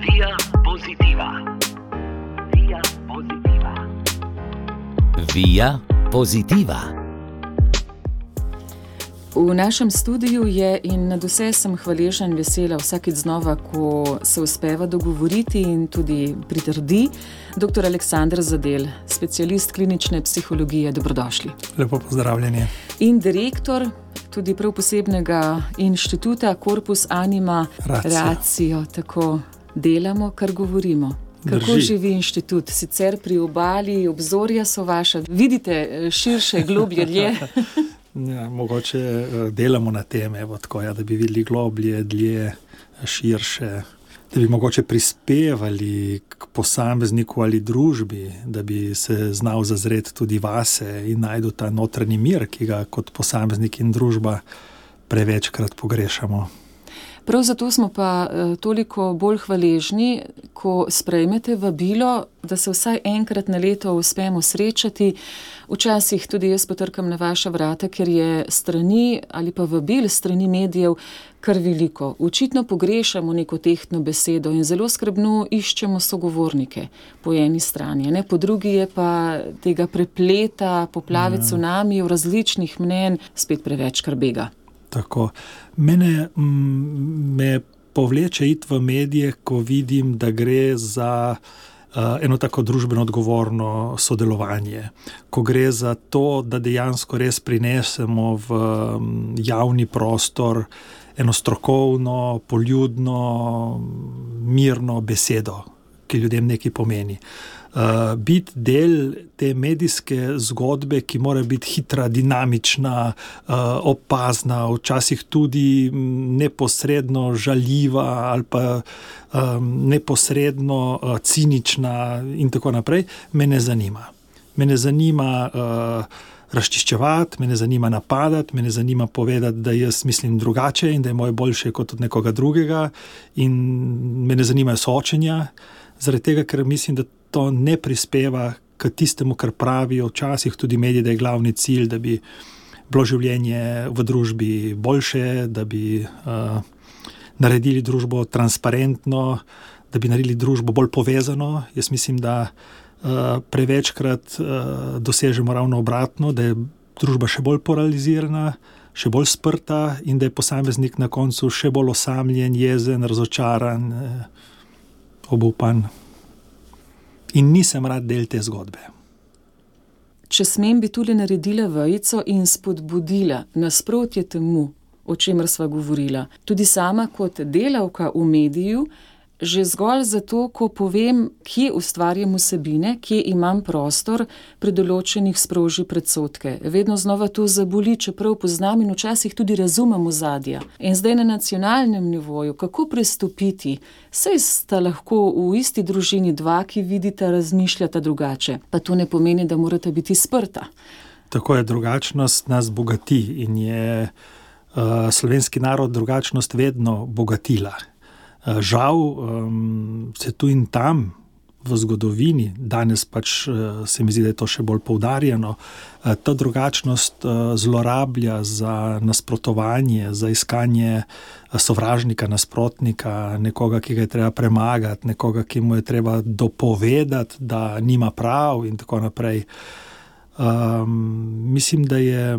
Via Positiva. Via Positiva. Via Positiva. V našem studiu je in nadvse sem hvaležna in vesela vsakič znova, ko se uspeva dogovoriti in tudi pritrdi dr. Aleksander Zadel, specialist klinične psihologije. Dobrodošli. Lepo pozdravljeni. In direktor tudi prav posebnega inštituta Corpus Anima Ratio. Tako delamo, kar govorimo. Kako živi inštitut? Sicer pri obali, obzorja so vaša. Vidite širše, globlje, dlje? Ja, mogoče delamo na tem, da bi videli globlje, dlje, širše, da bi mogoče prispevali k posamezniku ali družbi, da bi se znal zazreti tudi vase in najdu ta notranji mir, ki ga kot posameznik in družba prevečkrat pogrešamo. Prav zato smo pa toliko bolj hvaležni, ko sprejmete vabilo, da se vsaj enkrat na leto uspemo srečati. Včasih tudi jaz potrkam na vaša vrata, ker je strani ali pa vabil strani medijev kar veliko. Očitno pogrešamo neko tehtno besedo in zelo skrbno iščemo sogovornike po eni strani. Ne? Po drugi je pa tega prepleta, poplave cunamijev, različnih mnenj, spet preveč kar bega. Tako. Me povleče iti v medije, ko vidim, da gre za eno tako družbeno odgovorno sodelovanje. Ko gre za to, da dejansko res prinesemo v javni prostor eno strokovno, poljudno, mirno besedo, ki ljudem nekaj pomeni. Biti del te medijske zgodbe, ki mora biti hitra, dinamična, opazna, včasih tudi neposredno žaljiva ali pa neposredno cinična in tako naprej, me ne zanima. Me ne zanima razčiščevati, me ne zanima napadati, me ne zanima povedati, da jaz mislim drugače in da je moje boljše kot od nekoga drugega in me ne zanimajo soočenja, zaradi tega, ker mislim, da to ne prispeva k tistemu, kar pravijo včasih tudi mediji, da je glavni cilj, da bi bilo življenje v družbi boljše, da bi naredili družbo transparentno, da bi naredili družbo bolj povezano. Jaz mislim, da prevečkrat dosežemo ravno obratno, da je družba še bolj polarizirana, še bolj sprta in da je posameznik na koncu še bolj osamljen, jezen, razočaran, obupan. In nisem rad del te zgodbe. Če smem, bi tule naredila vejico in spodbudila nasprotje temu, o čemer sva govorila. Tudi sama kot delavka v mediju, že zgolj zato, ko povem, kje ustvarjam vsebine, kje imam prostor, pri določenih sproži predsodke. Vedno znova to zaboli, čeprav poznam in včasih tudi razumem ozadja. In zdaj na nacionalnem nivoju, kako prestopiti? Saj sta lahko v isti družini dva, ki vidita, razmišljata drugače. Pa to ne pomeni, da morata biti sprta. Tako je, drugačnost nas bogati in je slovenski narod drugačnost vedno bogatila. Žal se tu in tam v zgodovini, danes pač se mi zdi, da je to še bolj poudarjeno, ta drugačnost zlorablja za nasprotovanje, za iskanje sovražnika, nasprotnika, nekoga, ki ga je treba premagati, nekoga, ki mu je treba dopovedati, da nima prav in tako naprej. Mislim, da je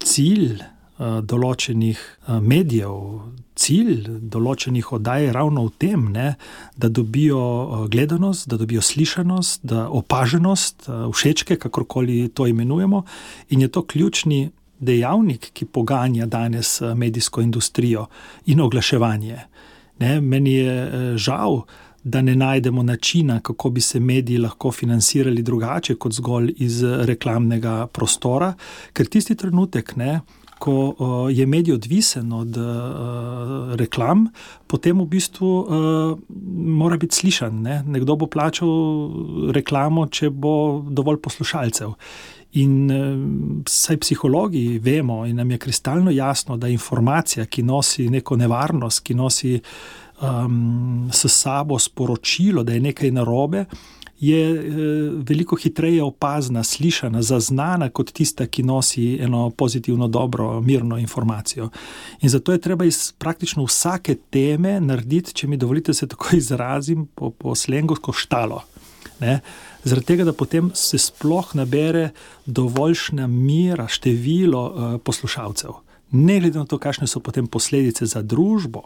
cilj določenih medijev, cilj določenih oddaj ravno v tem, da dobijo gledanost, da dobijo slišanost, da opaženost, všečke, kakorkoli to imenujemo, in je to ključni dejavnik, ki poganja danes medijsko industrijo in oglaševanje. Meni je žal, da ne najdemo načina, kako bi se mediji lahko financirali drugače kot zgolj iz reklamnega prostora, ker tisti trenutek, ko je medij odvisen od reklam, potem v bistvu mora biti slišan. Nekdo bo plačal reklamo, če bo dovolj poslušalcev. In saj psihologi vemo in nam je kristalno jasno, da informacija, ki nosi neko nevarnost, ki nosi s sabo sporočilo, da je nekaj narobe, je veliko hitreje opazna, slišana, zaznana kot tista, ki nosi eno pozitivno, dobro, mirno informacijo. In zato je treba iz praktično vsake teme narediti, če mi dovolite se tako izrazim, po slengu štalo. Ne? Zaradi tega, da potem se sploh nabere dovoljšna mera, število poslušalcev. Ne glede na to, kakšne so potem posledice za družbo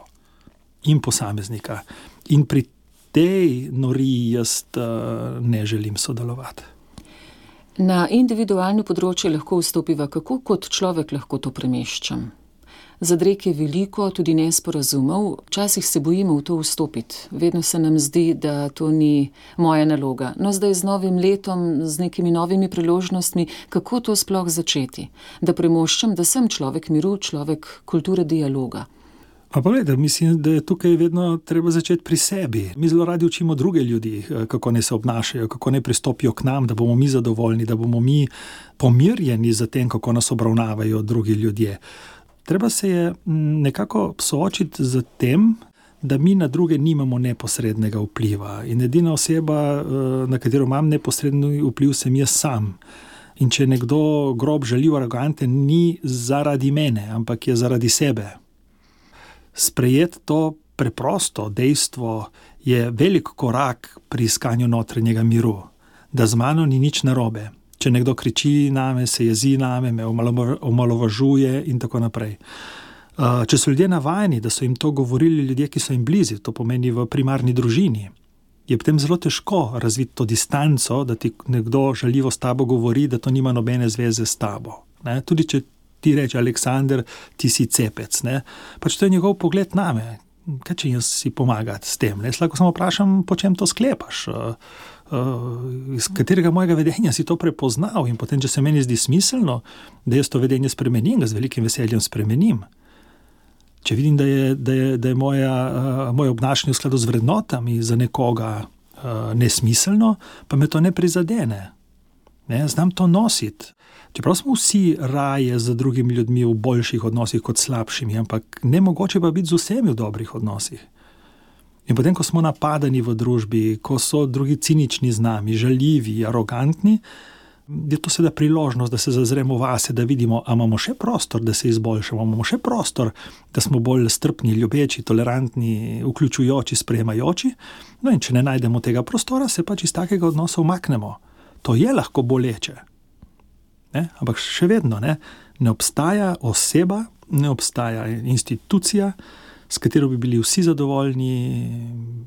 in posameznika. In pri tej noriji jaz ne želim sodelovati. Na individualno področje lahko vstopiva, kako kot človek lahko to premeščam. Zadreg je veliko, tudi nesporazumov, včasih se bojimo v to vstopiti. Vedno se nam zdi, da to ni moja naloga. No, zdaj z novim letom, z nekimi novimi priložnostmi, kako to sploh začeti? Da premoščam, da sem človek miru, človek kulture dialoga. Pa pogledaj, mislim, da je tukaj vedno treba začeti pri sebi. Mi zelo radi učimo druge ljudi, kako ne se obnašajo, kako ne pristopijo k nam, da bomo mi zadovoljni, da bomo mi pomirjeni za tem, kako nas obravnavajo drugi ljudje. Treba se je nekako soočiti z tem, da mi na druge nimamo neposrednega vpliva. In edina oseba, na katero imam neposredni vpliv, sem jaz sam. In če nekdo grob, žaljiv, aroganten, ni zaradi mene, ampak je zaradi sebe. Sprejeti to preprosto dejstvo je velik korak pri iskanju notranjega miru, da z mano ni nič narobe. Če nekdo kriči name, se jezi name, me omalovažuje in tako naprej. Če so ljudje navajeni, da so jim to govorili ljudje, ki so jim blizu, to pomeni v primarni družini, je potem zelo težko razviti to distanco, da ti nekdo žaljivo s tabo govori, da to nima nobene zveze s tabo. Ne? Tudi če ti reče, Aleksander, ti si cepec. Ne? Pač to je njegov pogled name. Kaj če jaz si pomagati s tem? Jaz lahko samo vprašam, po čem to sklepaš? Iz katerega mojega vedenja si to prepoznal? In potem, če se meni zdi smiselno, da jaz to vedenje spremenim, ga z velikim veseljem spremenim. Če vidim, da je moje obnašanje v skladu z vrednotami za nekoga nesmiselno, pa me to ne prizadene. Ne? Znam to nositi. Čeprav smo vsi raje z drugimi ljudmi v boljših odnosih kot slabšimi, ampak nemogoče pa biti z vsemi v dobrih odnosih. In potem, ko smo napadani v družbi, ko so drugi cinični z nami, žaljivi, arogantni, je to seveda priložnost, da se zazremo vase, da vidimo, a imamo še prostor, da se izboljšamo, imamo še prostor, da smo bolj strpni, ljubeči, tolerantni, vključujoči, sprejemajoči. No in če ne najdemo tega prostora, se pač iz takega odnosa umaknemo. To je lahko boleče. Ne? Ampak še vedno ne obstaja oseba, ne obstaja institucija, s katero bi bili vsi zadovoljni,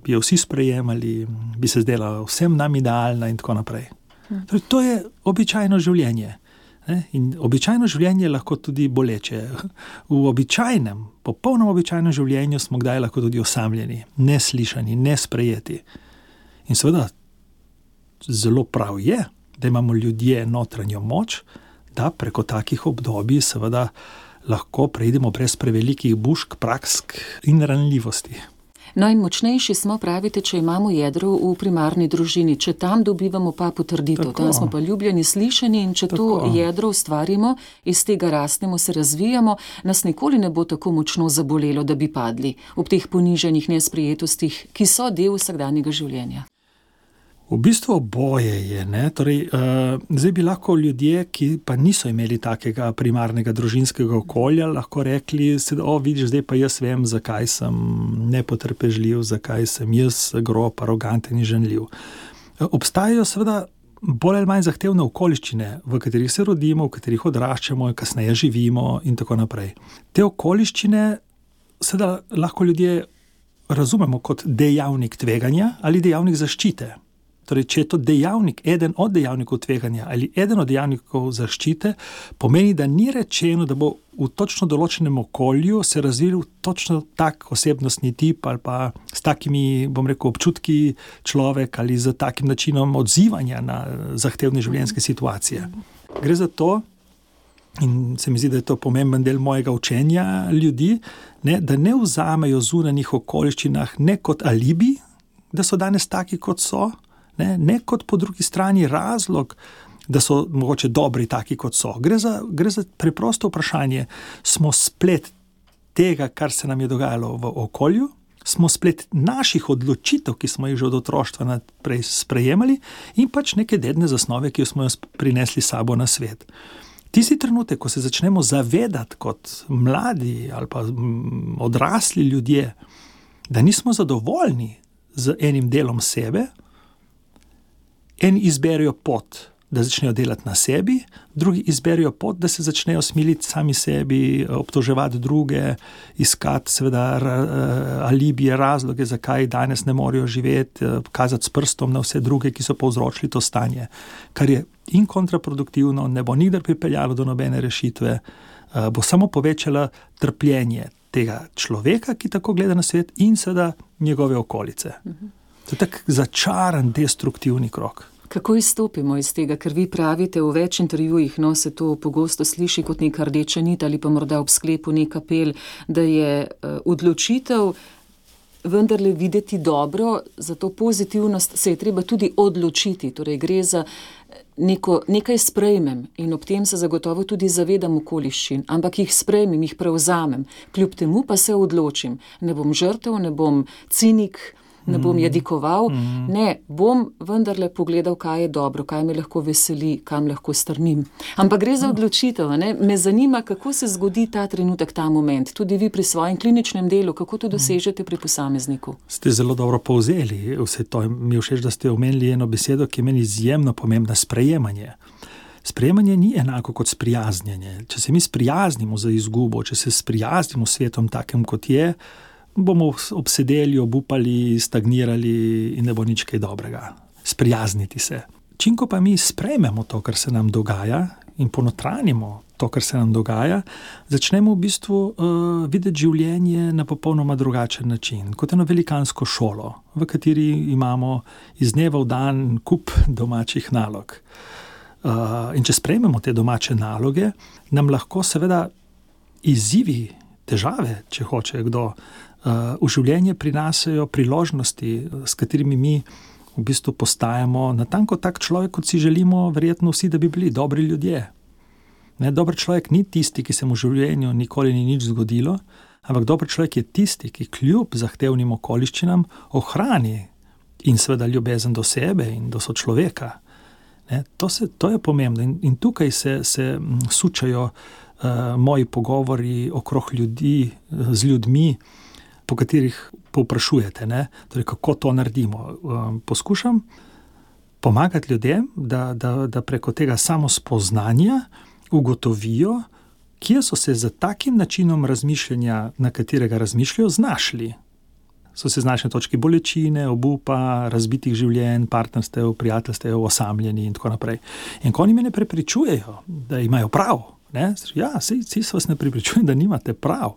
bi jo vsi sprejemali, bi se zdela vsem nam idealna in tako naprej. Torej, to je običajno življenje. Ne? In običajno življenje je lahko tudi boleče. V običajnem, popolnoma običajnem življenju smo kdaj lahko tudi osamljeni, neslišani, nesprejeti. In seveda, zelo prav je, da imamo ljudje notranjo moč, da preko takih obdobij seveda lahko preidemo brez prevelikih bušk, praksk in ranljivosti. No in močnejši smo, pravite, če imamo jedro v primarni družini, če tam dobivamo pa potrditev, tam smo pa ljubljeni, slišani in če to jedro ustvarimo, iz tega rastemo, se razvijamo, nas nikoli ne bo tako močno zabolelo, da bi padli ob teh poniženih nesprijetostih, ki so del vsakdanjega življenja. V bistvu oboje je. Ne? Torej, zdaj bi lahko ljudje, ki pa niso imeli takega primarnega družinskega okolja, lahko rekli, vidiš, zdaj pa jaz vem, zakaj sem nepotrpežljiv, zakaj sem jaz grob, aroganten in žaljiv. Obstajajo seveda bolj ali manj zahtevne okoliščine, v katerih se rodimo, v katerih odraščamo, kasneje živimo in tako naprej. Te okoliščine seveda lahko ljudje razumemo kot dejavnik tveganja ali dejavnik zaščite. Torej, če je to dejavnik, eden od dejavnikov tveganja ali eden od dejavnikov zaščite, pomeni, da ni rečeno, da bo v točno določenem okolju se razvil točno tak osebnostni tip ali pa s takimi, občutki človek ali z takim načinom odzivanja na zahtevne življenjske situacije. Gre za to, in se mi zdi, da je to pomemben del mojega učenja ljudi, da ne vzamejo zunanjih okoliščinah ne kot alibi, da so danes taki, kot so, ne kot po drugi strani razlog, da so mogoče dobri taki, kot so. Gre za preprosto vprašanje. Smo splet tega, kar se nam je dogajalo v okolju, smo splet naših odločitev, ki smo jih že od otroštva naprej sprejemali, in pač neke dedne zasnove, ki smo jo prinesli sabo na svet. Tisti trenutek, ko se začnemo zavedati kot mladi ali pa odrasli ljudje, da nismo zadovoljni z enim delom sebe, eni izberijo pot, da začnejo delati na sebi, drugi izberijo pot, da se začnejo smiliti sami sebi, obtoževati druge, iskati seveda alibije, razloge, zakaj danes ne morejo živeti, kazati s prstom na vse druge, ki so povzročili to stanje, kar je in kontraproduktivno, ne bo nikdar pripeljalo do nobene rešitve, bo samo povečalo trpljenje tega človeka, ki tako gleda na svet, in seveda njegove okolice. To je tak začaran, destruktivni krog. Kako izstopimo iz tega, ker vi pravite v več intervjujih, se to pogosto sliši kot neka rdeča nit ali pa morda ob sklepu nek apel, da je odločitev vendarle videti dobro, za to pozitivnost se je treba tudi odločiti, torej gre za nekaj sprejmem in ob tem se zagotovo tudi zavedam okoliščin, ampak jih sprejmem, jih prevzamem, kljub temu pa se odločim, ne bom žrtev, ne bom cinik, ne bom jadikoval, ne, bom vendarle pogledal, kaj je dobro, kaj me lahko veseli, kam lahko strmim. Ampak gre za odločitev, ne? Me zanima, kako se zgodi ta trenutek, ta moment, tudi vi pri svojem kliničnem delu, kako to dosežete pri posamezniku. Ste zelo dobro povzeli vse to. Mi je všeč, da ste omenili eno besedo, ki je meni izjemno pomembna, sprejemanje. Sprejemanje ni enako kot sprijaznjenje. Če se mi sprijaznimo za izgubo, če se sprijaznimo s svetom takem, kot je, bomo obsedeli, obupali, stagnirali in ne bo nič kaj dobrega. Sprijazniti se. Čim ko pa mi sprejmemo to, kar se nam dogaja, in ponotranimo to, kar se nam dogaja, začnemo v bistvu videti življenje na popolnoma drugačen način, kot eno velikansko šolo, v kateri imamo iz dneva v dan kup domačih nalog. In če sprejmemo te domače naloge, nam lahko seveda izzivi, težave, če hoče kdo, v življenje prinašajo priložnosti, s katerimi mi v bistvu postajamo natanko tak človek, kot si želimo verjetno vsi, da bi bili dobri ljudje. Dober človek ni tisti, ki se mu v življenju nikoli ni nič zgodilo, ampak dober človek je tisti, ki kljub zahtevnim okoliščinam ohrani in seveda ljubezen do sebe in do sočloveka. To je pomembno in tukaj se sučajo moji pogovori okrog ljudi, z ljudmi, po katerih povprašujete, torej kako to naredimo. Poskušam pomagati ljudem, da preko tega samospoznanja ugotovijo, kje so se za takim načinom razmišljanja, na katerega razmišljajo, znašli. So se znašli na točki bolečine, obupa, razbitih življenj, partnerstev, prijateljstev, osamljeni in tako naprej. In ko oni me ne prepričujejo, da imajo prav, ja, vsi se vas ne prepričujem, da nimate prav.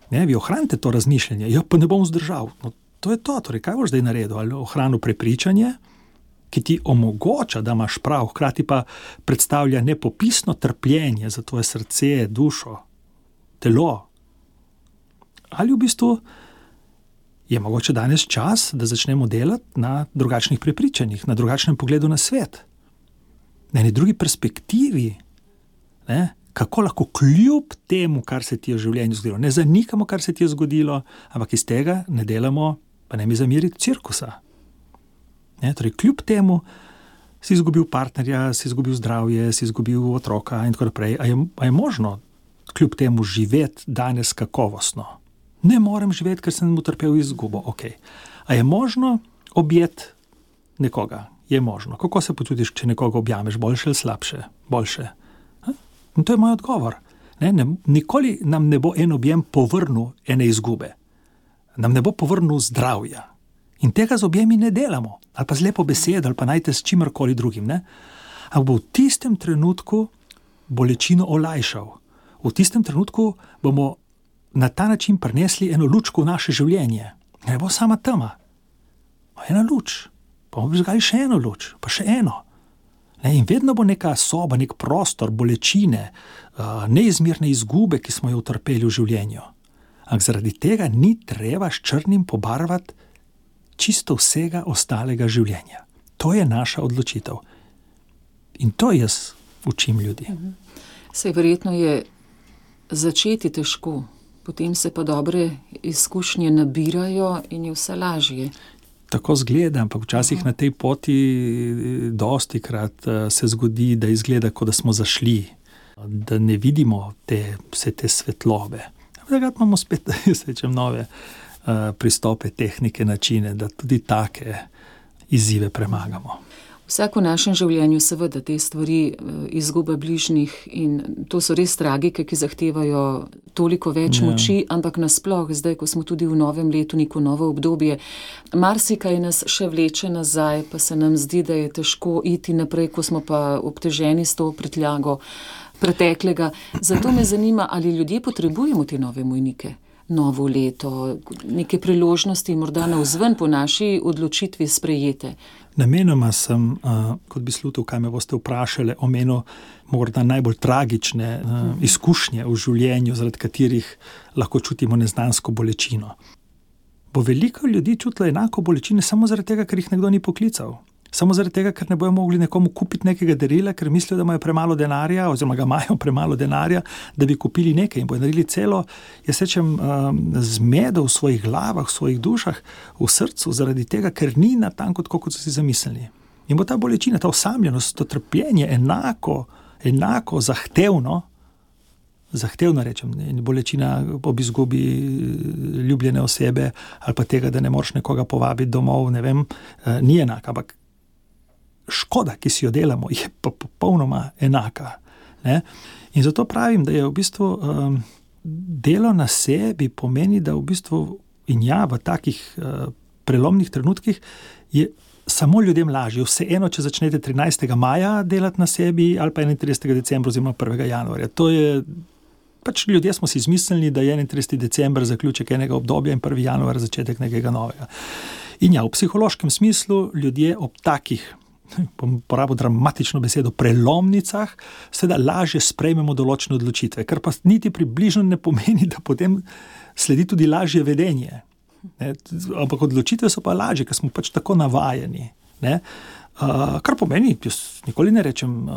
Vi ohranite to razmišljanje, pa ne bom vzdržal. No, to je to, torej kaj boš zdaj naredil? Ali ohranil prepričanje, ki ti omogoča, da imaš prav, hkrati pa predstavlja nepopisno trpljenje za tvoje srce, dušo, telo. Ali v bistvu je mogoče danes čas, da začnemo delati na drugačnih prepričanjih, na drugačnem pogledu na svet, na eni drugi perspektivi, kako lahko kljub temu, kar se ti je v življenju zgodilo, ne zanikamo, kar se ti je zgodilo, ampak iz tega ne delamo, pa ne mi zameriti, cirkusa. Torej, kljub temu si izgubil partnerja, si izgubil zdravje, si izgubil otroka in tako naprej. A je možno kljub temu živeti danes kakovostno? Ne morem živeti, ker sem utrpel izgubo. Okay. A je možno objeti nekoga? Je možno. Kako se počutiš, če nekoga objameš? Boljše ali slabše? Boljše. In to je moj odgovor. Nikoli nam ne bo en objem povrnil ene izgube. Nam ne bo povrnil zdravja. In tega z objemi ne delamo. Ali pa z lepo besedo, ali pa najte s čimerkoli drugim. Ampak bo v tistem trenutku bolečino olajšal. V tistem trenutku bomo na ta način prinesli eno lučko v naše življenje. Ne bo sama tema. Ena luč. Pa bomo prižgali še eno luč. Pa še eno. In vedno bo neka soba, nek prostor, bolečine, neizmerne izgube, ki smo jo utrpeli v življenju. Ampak zaradi tega ni treba s črnim pobarvati čisto vsega ostalega življenja. To je naša odločitev. In to jaz učim ljudi. Saj verjetno je začeti težko, Potem se pa dobre izkušnje nabirajo in je vse lažje. Tako zgleda, ampak včasih na tej poti dostikrat se zgodi, da izgleda, kot da smo zašli, da ne vidimo vse te svetlobe. Takrat imamo spet nove pristope, tehnike, načine, da tudi take izzive premagamo. Vsak v našem življenju seveda te stvari, izguba bližnjih, in to so res tragike, ki zahtevajo toliko več moči, ampak nasploh zdaj, ko smo tudi v novem letu, neko novo obdobje, marsikaj nas še vleče nazaj, pa se nam zdi, da je težko iti naprej, ko smo pa obteženi s to prtljago preteklega. Zato me zanima, ali ljudje potrebujemo te nove mejnike, novo leto, neke priložnosti, morda navzven po naši odločitvi sprejete. Namenoma sem, kot bi slutil, kaj me boste vprašali, omenil morda najbolj tragične izkušnje v življenju, zaradi katerih lahko čutimo neznansko bolečino. Bo veliko ljudi čutilo enako bolečine samo zaradi tega, ker jih nekdo ni poklical. Samo zaradi tega, ker ne bojo mogli nekomu kupiti nekega darila, ker mislijo, da imajo premalo denarja, oziroma ga imajo premalo denarja, da bi kupili nekaj in bojo naredili celo, jaz rečem, zmedo v svojih glavah, v svojih dušah, v srcu, zaradi tega, ker ni natanko tako, kot so si zamislili. In bo ta bolečina, ta osamljenost, to trpljenje enako zahtevno rečem, bolečina ob izgubi ljubljene osebe ali pa tega, da ne moreš nekoga povabiti domov, ne vem, ni enaka, ampak škoda, ki si jo delamo, je pa popolnoma enaka. Ne? In zato pravim, da je v bistvu delo na sebi pomeni, da v bistvu v takih prelomnih trenutkih je samo ljudem lažje. Vseeno, če začnete 13. maja delati na sebi ali pa 31. decembra oziroma 1. januarja. To je ljudje smo si izmislili, da je 31. december zaključek enega obdobja in 1. januar začetek nekega novega. In v psihološkem smislu ljudje ob takih, bom porabil dramatično besedo, prelomnicah, seveda lažje sprejmemo določene odločitve, kar pa niti približno ne pomeni, da potem sledi tudi lažje vedenje. Ne? Ampak odločitve so pa lažje, ker smo tako navajeni. Ne? Kar pomeni, jaz nikoli ne rečem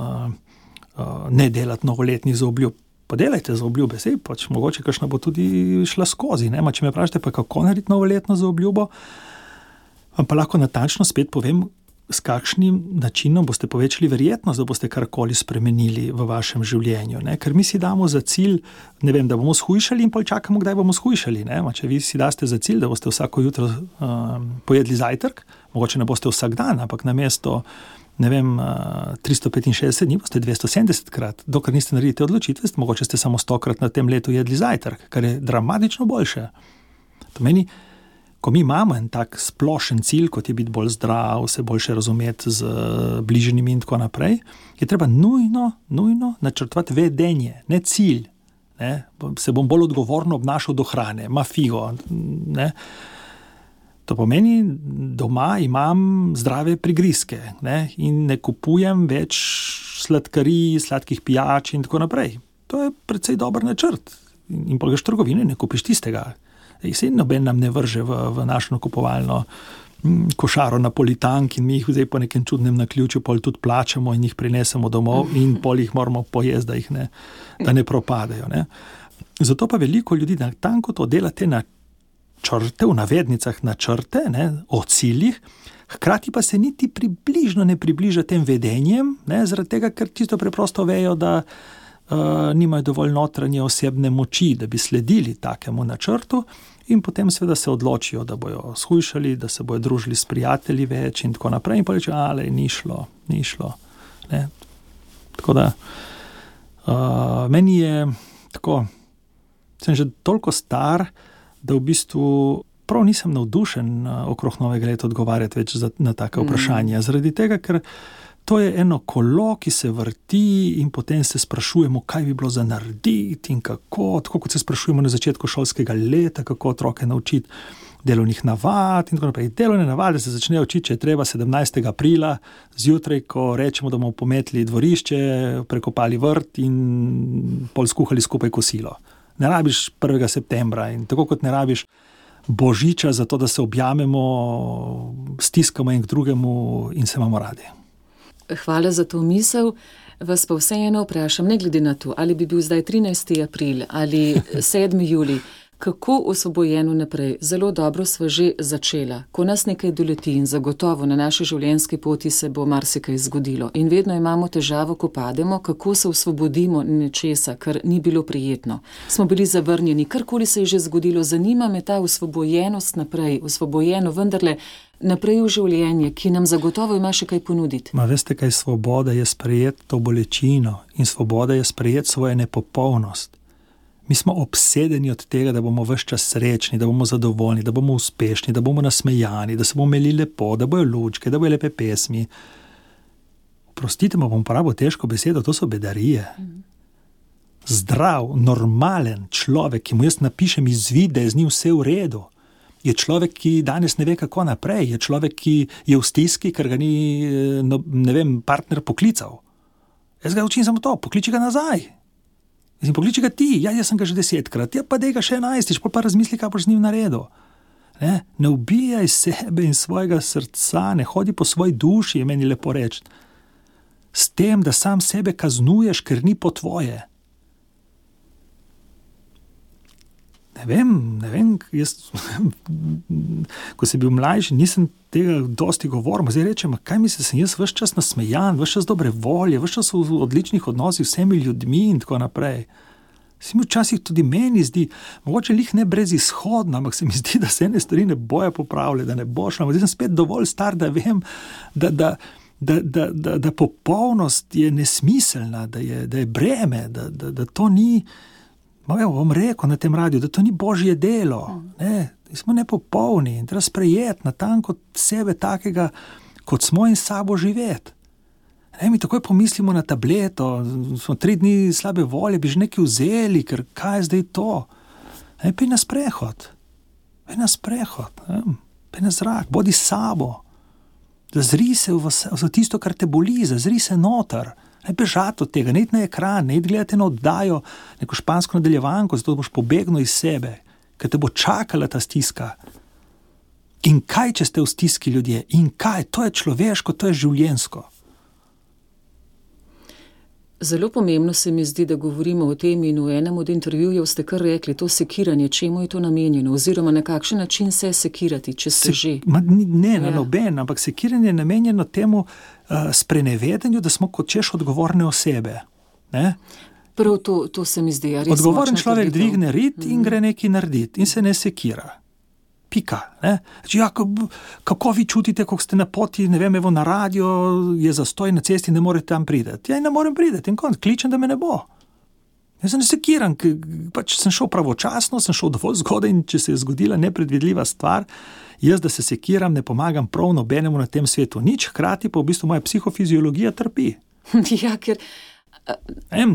ne delati novoletnih zaobljub. Pa delajte zaobljube, mogoče kakšna bo tudi šla skozi. Ne? Če me vprašate, pa kako narediti novoletno zaobljubo, vam pa lahko natančno spet povem, s kakšnim načinom boste povečali verjetnost, da boste karkoli spremenili v vašem življenju. Ne? Ker mi si damo za cilj, ne vem, da bomo shujšali in pol čakamo, kdaj bomo shujšali. Ne? Če vi si daste za cilj, da boste vsako jutro pojedli zajtrk, mogoče ne boste vsak dan, ampak namesto 365 dni boste 270-krat. Dokler niste naredili te odločitve, mogoče ste samo 100-krat na tem letu jedli zajtrk, kar je dramatično boljše. To meni, ko mi imamo en tak splošen cilj, kot je biti bolj zdrav, se boljše razumeti z bližnjimi in tako naprej, je treba nujno načrtovati vedenje, ne cilj. Ne? Se bom bolj odgovorno obnašal do hrane, ma figo. Ne? To pomeni, doma imam zdrave prigrizke, ne? In ne kupujem več sladkarij, sladkih pijač in tako naprej. To je precej dober načrt. In pa greš v trgovine, ne kupiš tistega. Se noben nam ne vrže v našo nakupovalno košaro napolitank in mi jih zdaj po nekem čudnem naključju pol tudi plačamo in jih prinesemo domov in pol jih moramo pojesti, da ne propadajo. Ne? Zato pa veliko ljudi natanko to dela te načrte, v navednicah načrte, ne, o ciljih, hkrati pa se niti približno ne približa tem vedenjem, ne, zaradi tega, ker čisto preprosto vejo, da nimajo dovolj notranje osebne moči, da bi sledili takemu načrtu in potem seveda se odločijo, da bojo shujšali, da se bojo družili s prijatelji več in tako naprej in pa reče, ni šlo. Ne? Tako da meni je tako, sem že toliko star, da v bistvu prav nisem navdušen okrog novega leta odgovarjati več na take vprašanja. Zaradi tega, ker to je eno kolo, ki se vrti in potem se sprašujemo, kaj bi bilo za narediti in kako, tako kot se sprašujemo na začetku šolskega leta, kako otroke naučiti delovnih navad in tako naprej. Delovne navade se začnejo učiti, če je treba 17. aprila zjutraj, ko rečemo, da bomo pometli dvorišče, prekopali vrt in pol skuhali skupaj kosilo. Ne rabiš 1. septembra in tako kot ne rabiš Božiča za to, da se objamemo, stiskamo en k drugemu in se imamo radi. Hvala za to misel. Vas pa vseeno vprašam, ne glede na to, ali bi bil zdaj 13. april ali 7. julij, kako osvobojeno naprej. Zelo dobro sva že začela. Ko nas nekaj doleti in zagotovo na naši življenjski poti se bo marsikaj zgodilo. In vedno imamo težavo, ko pademo, kako se osvobodimo nečesa, kar ni bilo prijetno. Smo bili zavrnjeni, karkoli se je že zgodilo. Zanima me ta osvobojenost naprej, osvobojeno vendarle naprej v življenje, ki nam zagotovo ima še kaj ponuditi. Veste kaj, svoboda je sprejeti to bolečino in svoboda je sprejeti svojo nepopolnost. Mi smo obsedeni od tega, da bomo ves čas srečni, da bomo zadovoljni, da bomo uspešni, da bomo nasmejani, da se bomo imeli lepo, da bojo lučke, da bojo lepe pesmi. Oprostite, bom uporabil težko besedo, to so bedarije. Zdrav, normalen človek, ki mu jaz napišem izvid, da je z njim vse v redu, je človek, ki danes ne ve, kako naprej, je človek, ki je v stiski, ker ga ni, partner poklical. Jaz ga učim samo to, pokliči ga nazaj. Pokliči ga ti, jaz sem ga že 10-krat, pa dej ga še 11, pa razmisli, kaj boš z njim naredil. Ne ubijaj sebe in svojega srca, ne hodi po svoji duši, je meni lepo reči. S tem, da sam sebe kaznuješ, ker ni po tvoje. Ne vem, jaz, ko sem bil mlajši, nisem tega dosti govoril, zdaj rečem, kaj misli, sem jaz ves čas nasmejan, ves čas dobre volje, ves čas v odličnih odnosih z vsemi ljudmi in tako naprej. Se mi včasih tudi meni zdi, mogoče lih ne brezizhodno, ampak se mi zdi, da se ene stvari ne bojo popravile, da ne bo šlo. Zdaj sem spet dovolj star, da vem, da popolnost je nesmiselna, da je breme, da to ni, bom rekel na tem radiju, da to ni božje delo, ne. Smo nepopolni in treba sprejeti natanko sebe takega, kot smo in sabo živeti. Mi takoj pomislimo na tableto, smo 3 dni slabe volje, bi že nekaj vzeli, ker kaj je zdaj to? Pej na sprehod, pej na zrak, bodi sabo, zazri se v tisto, kar te boli, zazri se noter, ne bežati od tega, ne iti na ekran, ne iti gledati na oddajo, neko špansko nadaljevanko, zato boš pobegnil iz sebe, ker te bo čakala ta stiska. In kaj, če ste v stiski ljudje? In kaj? To je človeško, to je življenjsko. Zelo pomembno se mi zdi, da govorimo o tem in v enem od intervjujev ste kar rekli, to sekiranje, čemu je to namenjeno, oziroma na kakšen način se sekirati, če ste že. Na noben, ampak sekiranje je namenjeno temu sprenevedanju, da smo kot češ odgovorne osebe. Ne? Prav to se mi zdi. Odgovoren človek dvigne rit in gre nekaj narediti in se ne sekira. Pika. Ne? Kako vi čutite, ko ste na poti, na radio, je zastoj na cesti, ne morete tam prideti. Ne morem prideti in kličem, da me ne bo. Jaz se ne sekiram, pač sem šel pravočasno, sem šel dovolj zgodaj in če se je zgodila nepredvidljiva stvar, jaz, da se sekiram, ne pomagam prav nobenemu na tem svetu nič, hkrati pa v bistvu moja psihofiziologija trpi. Ja, ker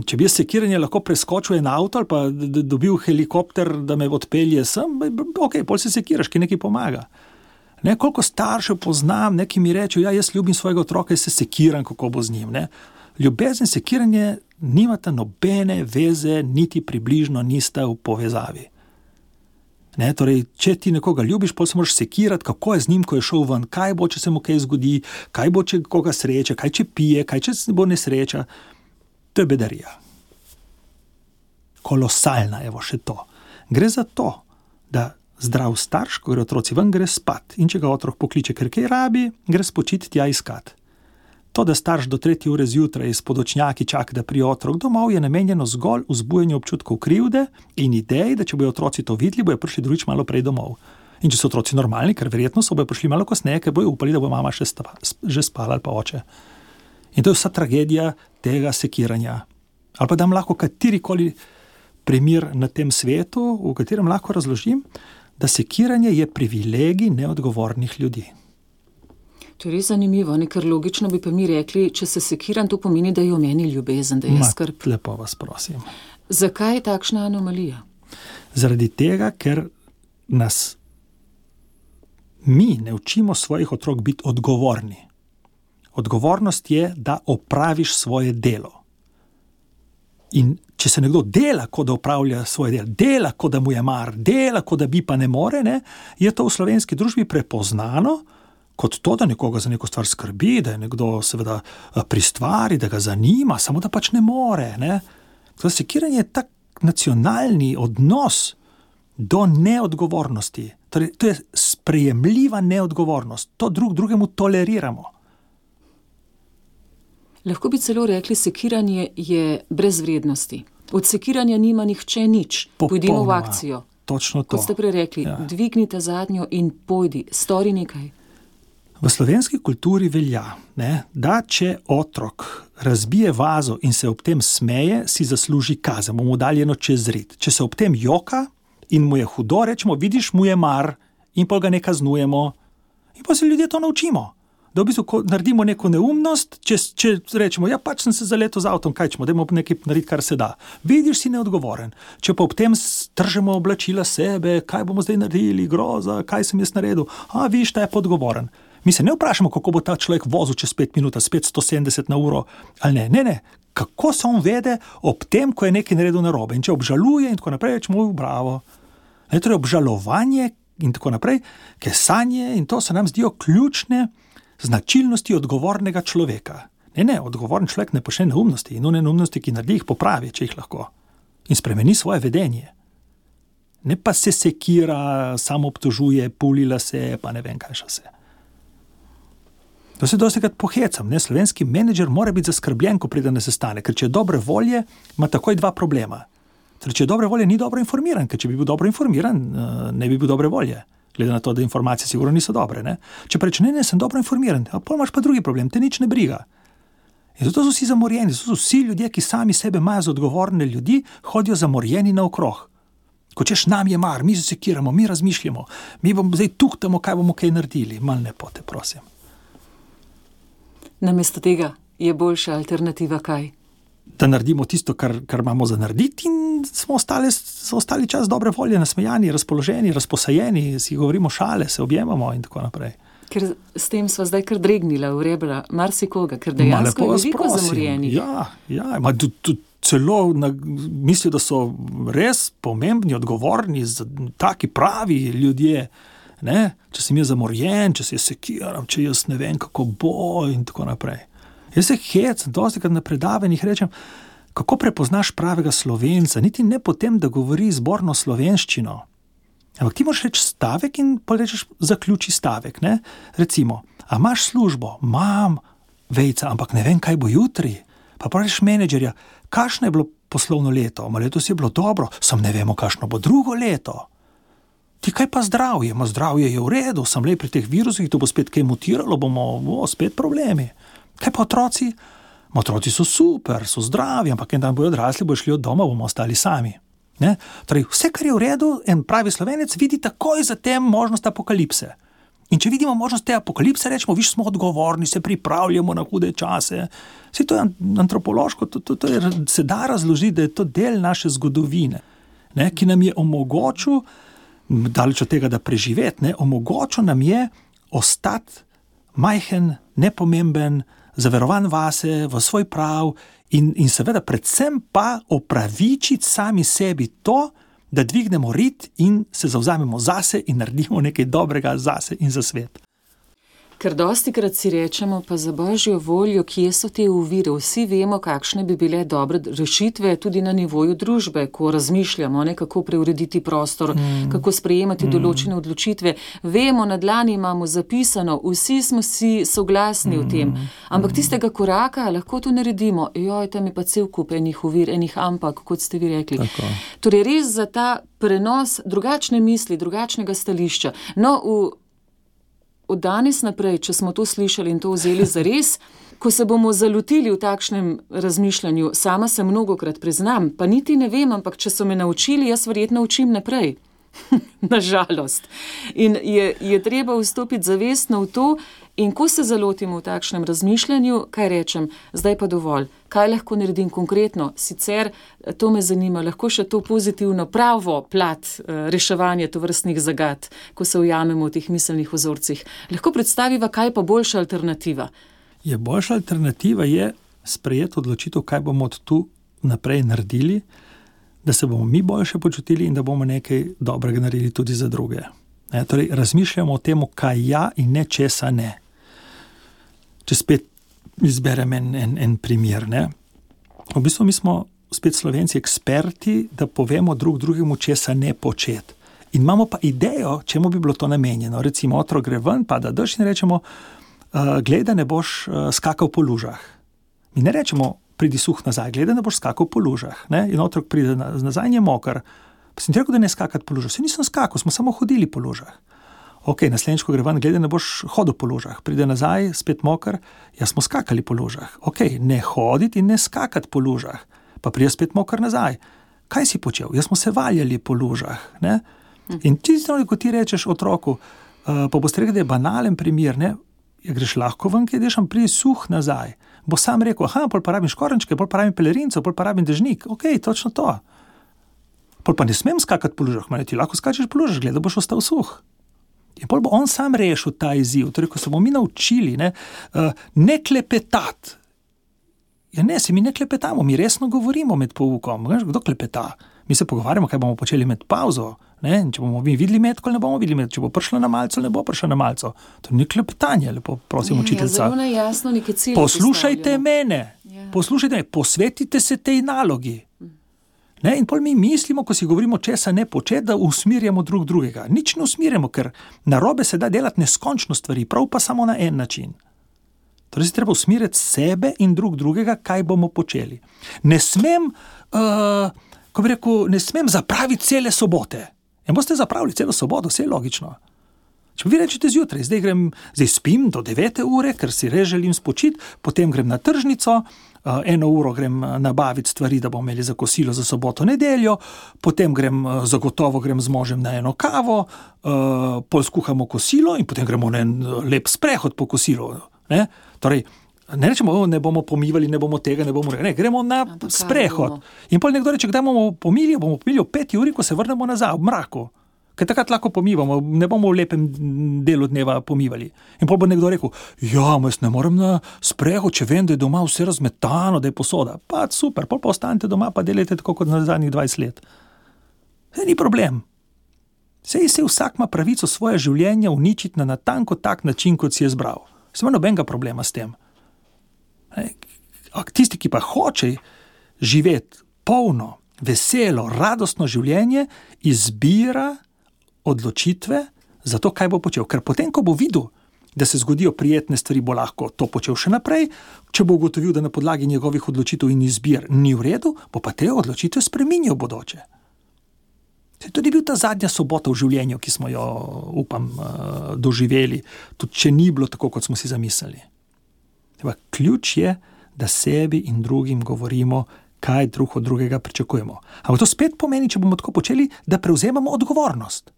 če bi jaz sekiranje lahko preskočil en avto ali pa dobil helikopter, da me odpelje sem, pol se sekiraš, ki nekaj pomaga. Koliko staršev poznam, neki mi rečejo, jaz ljubim svojega otroka in se sekiram, kako bo z njim. Ljubezen, sekiranje nimata nobene veze, niti približno nista v povezavi. Torej, če ti nekoga ljubiš, pol se moraš sekirati, kako je z njim, ko je šel ven, kaj bo, če se mu kaj zgodi, kaj bo, če koga sreča, kaj če pije, kaj če bo nesreča. To je bedarija. Kolosalna, evo še to. Gre za to, da zdrav starš, ko gre otroci ven, gre spat. In če ga otrok pokliče, ker kaj rabi, gre spočiti tja iskat. To, da starš do 3. ure zjutraj s podočnjaki čaka, da prije otrok domov, je namenjeno zgolj vzbujanju občutkov krivde in ideji, da če bojo otroci to videli, bojo prišli drugič malo prej domov. In če so otroci normalni, ker verjetno so bojo prišli malo kasneje, ker bojo upali, da bo mama že spala ali pa oče. In to je vsa tragedija tega sekiranja. Ali pa dam lahko katerikoli primer na tem svetu, v katerem lahko razložim, da sekiranje je privilegij neodgovornih ljudi. To je res zanimivo, ker logično bi pa mi rekli, če se sekiram, to pomeni, da je v meni ljubezen, da je skrb. Lepo vas prosim. Zakaj je takšna anomalija? Zaradi tega, ker nas mi ne učimo svojih otrok biti odgovorni. Odgovornost je, da opraviš svoje delo. In če se nekdo dela, kot da opravlja svoje delo, dela, kot da mu je mar, dela, kot da bi pa ne more, je to v slovenski družbi prepoznano kot to, da nekoga za neko stvar skrbi, da je nekdo seveda pri stvari, da ga zanima, samo da pač ne more. Ne? Sekiranje je tak nacionalni odnos do neodgovornosti. Torej, to je sprejemljiva neodgovornost. To drugemu toleriramo. Lahko bi celo rekli, sekiranje je brez vrednosti. Od sekiranja nima nihče nič. Pojdimo v akcijo. Točno to. Kot ste prej rekli, dvignite zadnjo in pojdi, stori nekaj. V slovenski kulturi velja, da če otrok razbije vazo in se ob tem smeje, si zasluži kazen, bomo dali eno čez rit. Če se ob tem joka in mu je hudo, rečemo, vidiš, mu je mar in pa ga ne kaznujemo. In pa se ljudje to naučimo. Da v bistvu, ko naredimo neko neumnost, če rečemo, ja, pač sem se zaletel z avtom, kaj ćemo, dajmo nekaj narediti, kar se da. Vidiš, si neodgovoren. Če pa ob tem stržemo oblačila sebe, kaj bomo zdaj naredili, groza, kaj sem jaz naredil, vidiš, ta je podgovoren. Mi se ne vprašamo, kako bo ta človek vozil čez 5 minut, spet 170 na uro, ali ne. Kako se on vede ob tem, ko je nekaj naredil narobe. In če obžaluje in tako naprej, rečemo, bravo. Torej obžalovanje in tako naprej, kesanje in to se nam zdijo ključne značilnosti odgovornega človeka. Odgovoren človek ne počne neumnosti in one neumnosti, ki naredi, jih popravi, če jih lahko. In spremeni svoje vedenje. Ne pa se sekira, samo obtožuje, pulila se, pa ne vem, kaj še vse. To se dostikrat pohecam. Slovenski menedžer mora biti zaskrbljen, ko pride na sestanek, ker če je dobre volje, ima takoj 2 problema. Če je dobre volje, ni dobro informiran, ker če bi bil dobro informiran, ne bi bil dobre volje. Glede na to, da informacije sigurno niso dobre. Če pa reče, ne, sem dobro informiran, potem imaš pa drugi problem, te nič ne briga. In zato so vsi zamorjeni, so vsi ljudje, ki sami sebe imajo za odgovorne ljudi, hodijo zamorjeni naokrog. Ko češ nam je mar, mi se sekiramo, mi razmišljamo, mi bomo zdaj tuhtamo, kaj bomo kaj naredili. Mal ne pote, prosim. Namesto tega je boljša alternativa kaj? Da naredimo tisto, kar imamo za narediti in smo ostali čas dobre volje, nasmejani, razpoloženi, razposajeni, si govorimo šale, se objemamo in tako naprej. Ker s tem sva zdaj kar dregnila v rebra marsikoga, ker dejansko je veliko zamorjenih. Ja, celo mislijo, da so res pomembni, odgovorni, taki pravi ljudje. Če sem jaz zamorjen, če se jaz sekiram, če jaz ne vem, kako bo in tako naprej. Jaz se hecam, dostikrat na predavanjih rečem, kako prepoznaš pravega Slovenca, niti ne potem, da govori zborno slovenščino. Ampak ti moraš reči stavek in pa rečeš zaključi stavek. Recimo, a imaš službo? Imam, vejca, ampak ne vem, kaj bo jutri. Pa praviš menedžerja, kakšno je bilo poslovno leto? Letos je bilo dobro, sam ne vemo, kakšno bo drugo leto. Ti kaj pa zdravje? Zdravje je v redu, sam le pri teh virusih, to bo spet kaj mutiralo, bomo spet problemi. Kaj pa otroci? Otroci so super, so zdravi, ampak en dan bojo odrasli, bojo šli od doma, bomo ostali sami. Torej, vse, kar je v redu, en pravi Slovenec vidi takoj za tem možnost apokalipse. In če vidimo možnost te apokalipse, rečemo, viš, smo odgovorni, se pripravljamo na hude čase. Vse to je antropološko, se da razložiti, da je to del naše zgodovine, ki nam je omogočil, daleč od tega, da preživeti, omogočil nam je ostati majhen, nepomemben, zaverovan vase, v svoj prav in seveda predvsem pa opravičiti sami sebi to, da dvignemo rit in se zavzamemo zase in naredimo nekaj dobrega zase in za svet. Ker dostikrat si rečemo, pa za božjo voljo, kje so te ovire, vsi vemo, kakšne bi bile dobre rešitve tudi na nivoju družbe, ko razmišljamo, kako preurediti prostor, kako sprejemati določene odločitve. Vemo, na dlani imamo zapisano, vsi smo si soglasni v tem, ampak tistega koraka lahko to naredimo. Tam je pa cel kup enih ovir, enih ampak, kot ste vi rekli. Tako. Torej res za ta prenos drugačne misli, drugačnega stališča. Od danes naprej, če smo to slišali in to vzeli za res, ko se bomo zalotili v takšnem razmišljanju, sama se mnogokrat priznam, pa niti ne vem, ampak če so me naučili, jaz verjetno učim naprej. Nažalost. In je treba vstopiti zavestno v to in ko se zalotimo v takšnem razmišljanju, kaj rečem, zdaj pa dovolj, kaj lahko naredim konkretno, sicer to me zanima, lahko še to pozitivno pravo plat reševanja tovrstnih zagad, ko se ujamemo v teh miselnih vzorcih. Lahko predstaviva, kaj pa boljša alternativa? Boljša alternativa je sprejeti odločitev, kaj bomo od tu naprej naredili, da se bomo mi boljše počutili in da bomo nekaj dobrega naredili tudi za druge. Torej, razmišljamo o tem, kaj ja in ne česa ne. Če spet izberem en primer. Ne? V bistvu mi smo spet Slovenci eksperti, da povemo drugemu, česa ne početi. In imamo pa idejo, čemu bi bilo to namenjeno. Recimo, otrok gre ven, pada dež in rečemo, glej, da ne boš skakal po lužah. Mi ne rečemo, pridi suh nazaj, glej, da ne boš skakal po lužah. Ne? In otrok pride nazaj in je moker. Pa sem ti rekel, da ne skakati po lužah. Se nisem skakal, smo samo hodili po lužah. Ok, naslednjič, ko gre ven, glej, da ne boš hodil po lužah. Pride nazaj, spet moker, smo skakali po lužah. Ok, ne hoditi in ne skakati po lužah. Pa pride spet moker nazaj. Kaj si počel? Smo se valjali po lužah. Ne? In tisto, ko ti rečeš otroku, pa boste rekli, da je banalen primer, ne? Greš lahko ven, kaj ideš, pridi suh nazaj. Bo sam rekel, pol pa rabim škorenčke, pol pa rabim pelerinco, pol pa rabim dežnik. Ok, točno to. Pol pa ne smem skakati po lužah, ti lahko skačeš po lužah, gleda, boš ostal suh. In pol bo on sam rešil ta izziv. Torej, ko se bomo mi naučili, ne klepetati. Ne, se mi ne klepetamo, mi resno govorimo med poukom. Kdo klepeta? Mi se pogovarjamo, kaj bomo počeli med pauzo. Ne? Če bomo mi videli metko, ne bomo videli metko. Če bo prišla na malco, ne bo prišla na malco. To ni klepetanje, lepo prosim učiteljca. Zelo jasno neke cilje poslušajte mene, posvetite se tej nalogi. Ne? In pol mi mislimo, ko si govorimo česa ne početi, da usmirjamo drugega. Nič ne usmirjamo, ker narobe se da delati neskončno stvari, prav pa samo na en način. Torej se treba usmiriti sebe in drugega, kaj bomo počeli. Ne smem, ne smem zapraviti cele sobote. Boste zapravili celo soboto, vse je logično. Če vi rečete zjutraj, zdaj spim do 9 ure, ker si res želim spočiti, potem grem na tržnico, 1 uro grem nabaviti stvari, da bomo imeli za kosilo za soboto, nedeljo, potem zagotovo grem z možem na eno kavo, pol skuhamo kosilo in potem gremo na en lep sprehod po kosilu. Ne? Torej, ne rečemo, ne bomo pomivali, ne bomo tega, ne bomo rekli, ne, gremo na sprehod. In pol nekdo reče, kdaj bomo pomili o 5 uri, ko se vrnemo nazaj, v mraku. Ker takrat lahko pomivamo, ne bomo v lepem delu dneva pomivali. In pol bo nekdo rekel, jaz ne morem na sprehod, če vem, da je doma vse razmetano, da je posoda. Pa super, pol pa ostanete doma, pa delajte tako kot na zadnjih 20 let. Ni problem. Sej vsak ima pravico svoje življenje uničiti na natanko tak način, kot si je zbral. Se ima nobenega problema s tem. Tisti, ki pa hoče živeti polno, veselo, radostno življenje, izbira odločitve za to, kaj bo počel. Ker potem, ko bo videl, da se zgodijo prijetne stvari, bo lahko to počel še naprej. Če bo ugotovil, da na podlagi njegovih odločitev in izbir ni v redu, bo pa te odločitve spreminjal bodoče. To je tudi bil ta zadnja sobota v življenju, ki smo jo, upam, doživeli, tudi če ni bilo tako, kot smo si zamislili. Ključ je, da sebi in drugim govorimo, kaj drug od drugega pričakujemo. Ampak to spet pomeni, če bomo tako počeli, da prevzemamo odgovornost.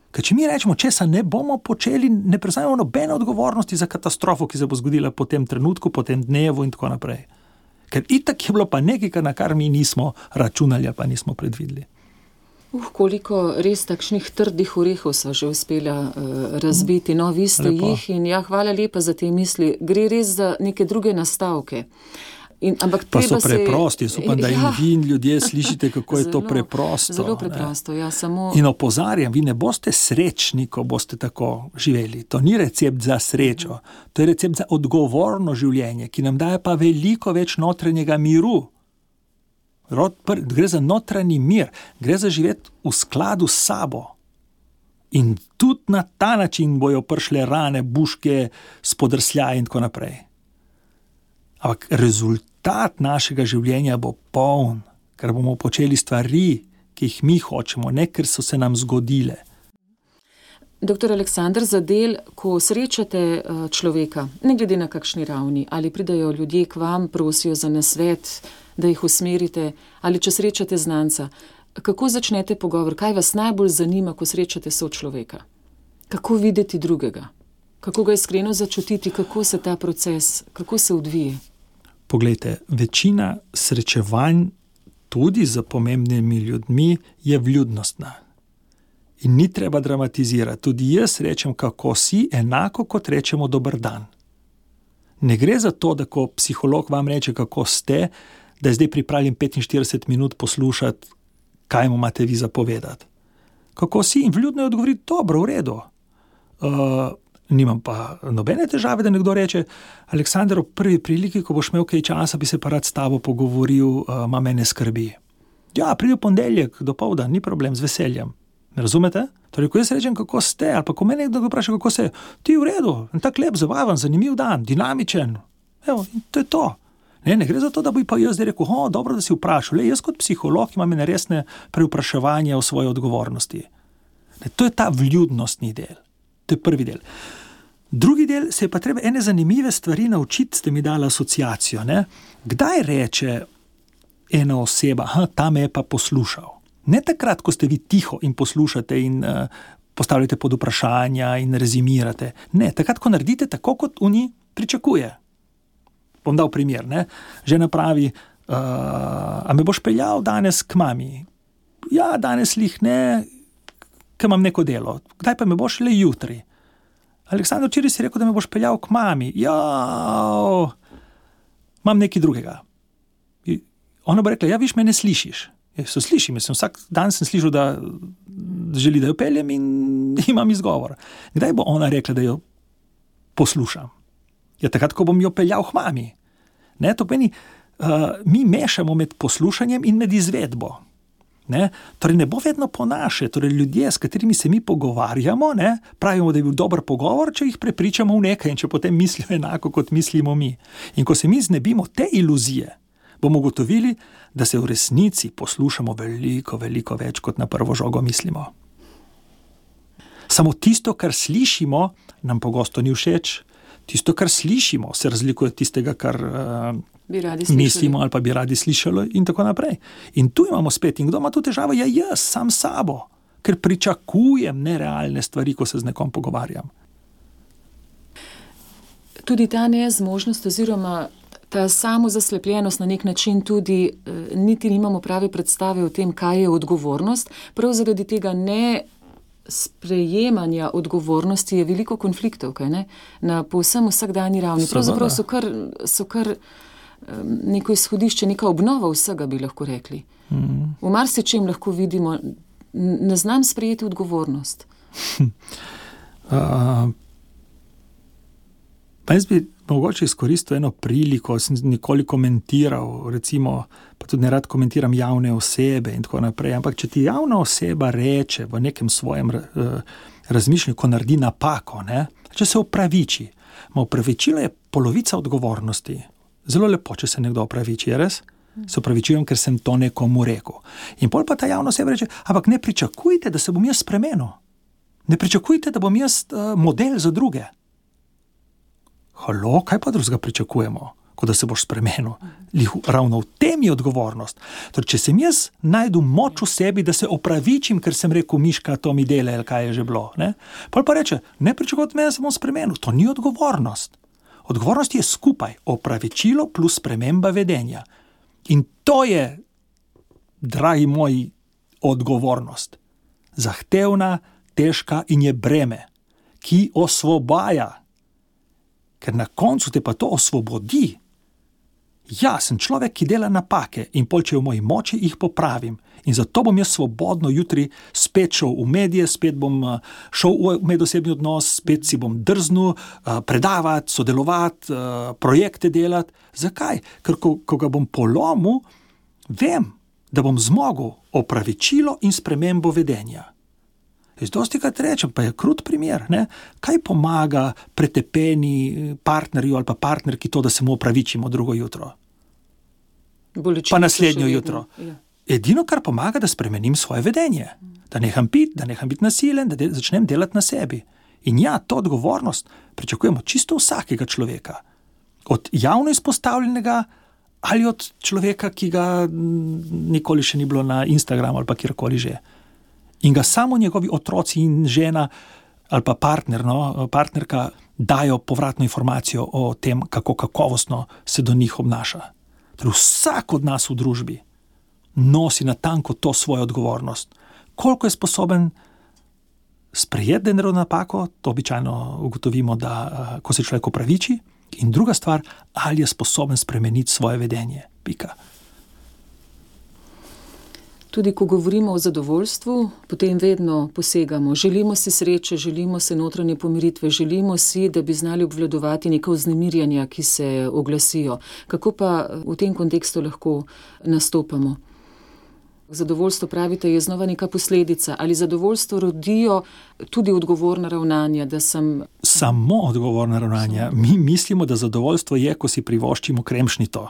Ker če mi rečemo, česa ne bomo počeli, ne prevzamemo nobene odgovornosti za katastrofo, ki se bo zgodila po tem trenutku, po tem dnevu in tako naprej. Ker itak je bilo pa nekaj, na kar mi nismo računali, pa nismo predvideli. Koliko res takšnih trdih orehov sva že uspela razbiti. No, vi ste jih in hvala lepa za te misli. Gre res za neke druge nastavke. Pa so preprosti, upam, da in vi in ljudje slišite, kako je to preprosto. Zelo preprosto, samo... In opozarjam, vi ne boste srečni, ko boste tako živeli. To ni recept za srečo, to je recept za odgovorno življenje, ki nam daje pa veliko več notranjega miru. Gre za notranji mir, gre za živeti v skladu s sabo. In tudi na ta način bojo prišle rane, buške, spodrsljaje in tako naprej. Ampak rezultat našega življenja bo poln, ker bomo počeli stvari, ki jih mi hočemo, ne ker so se nam zgodile. Doktor Aleksander, za del, ko srečate človeka, ne glede na kakšni ravni, ali pridajo ljudje k vam, prosijo za nasvet, da jih usmerite, ali če srečate znanca, kako začnete pogovor, kaj vas najbolj zanima, ko srečate sočloveka? Kako videti drugega? Kako ga iskreno začutiti, kako se ta proces, kako se odvije? Poglejte, večina srečevanj tudi z pomembnimi ljudmi je vljudnostna. In ni treba dramatizirati. Tudi jaz rečem, kako si, enako kot rečemo dober dan. Ne gre za to, da ko psiholog vam reče, kako ste, da je zdaj pripravljen 45 minut poslušati, kaj mu imate vi zapovedati. kako si, in vljudno je odgovoriti, dobro, v redu. Nimam pa nobene težave, da nekdo reče, Aleksandar, ob prvi priliki, ko boš imel kaj časa, bi se pa rad s tabo pogovoril, ima mene skrbi. Ja, pridi v ponedeljek, dopoldan, ni problem, z veseljem. Me razumete? Torej, ko jaz rečem, kako ste, ali pa ko me nekdo vpraša, kako ste, ti v redu, tak lep, zabaven, zanimiv dan, dinamičen. Evo, in to je to. Ne gre za to, da bi pa jaz zdaj rekel, dobro, da si vprašal. Jaz kot psiholog imam resne prevpraševanje o svoji odgovornosti. To je ta vljudnostni del. To je prvi del. Drugi del, se je pa treba ene zanimive stvari naučiti, ste mi dali asociacijo. Ne? Kdaj reče ena oseba, ta me je pa poslušal? Ne takrat, ko ste vi tiho in poslušate in postavljate pod vprašanja in rezimirate. Ne, takrat, ko naredite tako, kot oni pričakuje. Bom dal primer. Ne? Žena pravi, a me boš peljal danes k mami? Ja, danes lih ne, ker imam neko delo. Kdaj pa me boš? Le jutri. Aleksandar, včeraj si rekel, da me boš peljal k mami. Ja, imam nekaj drugega. Ona bo rekla, ja, viš, me ne slišiš. So slišim, vsak dan sem slišal, da želi, da jo peljem in imam izgovor. Kdaj bo ona rekla, da jo poslušam? Ja, takrat, ko bom jo peljal k mami. Ne, to pomeni, mi mešamo med poslušanjem in med izvedbo. Ne? Torej ne bo vedno po naše, torej ljudje, s katerimi se mi pogovarjamo, ne, pravimo, da je bil dober pogovor, če jih prepričamo v nekaj in če potem mislijo enako, kot mislimo mi. In ko se mi znebimo te iluzije, bomo ugotovili, da se v resnici poslušamo veliko, veliko več, kot na prvo žogo mislimo. Samo tisto, kar slišimo, nam pogosto ni všeč. Tisto, kar slišimo, se razlikuje od tistega, kar mislimo ali pa bi radi slišali in tako naprej. In tu imamo spet, in kdo ima tu težavo? Ja, jaz, sam sabo, ker pričakujem nerealne stvari, ko se z nekom pogovarjam. Tudi ta nezmožnost oziroma ta samozaslepljenost na nek način tudi niti nimamo prave predstave o tem, kaj je odgovornost. Prav zaradi tega ne sprejemanja odgovornosti je veliko konfliktov, kaj ne? Na povsem vsakdanji ravni. Pravzaprav so kar neko izhodišče, neka obnova vsega, bi lahko rekli. V marsičem lahko vidimo, ne znam sprejeti odgovornost. Pa jaz bi mogoče izkoristil eno priliko, sem nikoli komentiral, recimo, pa tudi nerad komentiram javne osebe in tako naprej, ampak če ti javna oseba reče v nekem svojem razmišljanju, ko naredi napako, ne, če se opraviči, opravičilo je polovica odgovornosti. Zelo lepo, če se nekdo opraviči, je res? Se opravičujem, ker sem to nekomu rekel. In pol pa ta javna oseba reče, ampak ne pričakujte, da se bom jaz spremenil. Ne pričakujte, da bom jaz model za druge. Halo, kaj pa drugega pričakujemo, kot da se boš spremenil? Ravno v tem je odgovornost. Torej, če sem jaz najdu moč v sebi, da se opravičim, ker sem rekel, Miška, to mi dela, ali kaj je že bilo. Ne? Pol pa reče, ne pričakujte me, da se bom spremenil. To ni odgovornost. Odgovornost je skupaj, opravičilo plus sprememba vedenja. In to je, dragi moji, odgovornost. Zahtevna, težka in je breme, ki osvobaja. Ker na koncu te pa to osvobodi. Ja, sem človek, ki dela napake in pol, če je v moji moči, jih popravim. In zato bom jaz svobodno jutri spet šel v medije, spet bom šel v medosebni odnos, spet si bom drznil predavati, sodelovati, projekte delati. Zakaj? Ker ko ga bom polomil, vem, da bom zmogel opravičilo in spremembo vedenja. Jaz dostikrat rečem, pa je krut primer, ne? Kaj pomaga pretepeni partnerju ali pa partnerki to, da se mu opravičimo drugo jutro? Bolečine pa naslednjo jutro. Ja. Edino, kar pomaga, da spremenim svoje vedenje. Da neham biti nasilen, da začnem delati na sebi. In ja, to odgovornost pričakujemo čisto vsakega človeka. Od javno izpostavljenega ali od človeka, ki ga nikoli še ni bilo na Instagramu ali pa kjerkoli že. In ga samo njegovi otroci in žena ali pa partnerka dajo povratno informacijo o tem, kako kakovostno se do njih obnaša. Torej vsak od nas v družbi nosi natanko to svojo odgovornost. Koliko je sposoben sprejeti, da je naredil napako, to običajno ugotovimo, da ko se človek opraviči. In druga stvar, ali je sposoben spremeniti svoje vedenje. Pika. Tudi ko govorimo o zadovoljstvu, potem vedno posegamo. Želimo si sreče, želimo si notranje pomiritve, želimo si, da bi znali obvladovati neka vznemirjanja, ki se oglasijo. Kako pa v tem kontekstu lahko nastopamo? Zadovoljstvo, pravite, je znova neka posledica. Ali zadovoljstvo rodijo tudi odgovorna ravnanja, da sem... Samo odgovorna ravnanja. Mi mislimo, da zadovoljstvo je, ko si privoščimo kremšnito.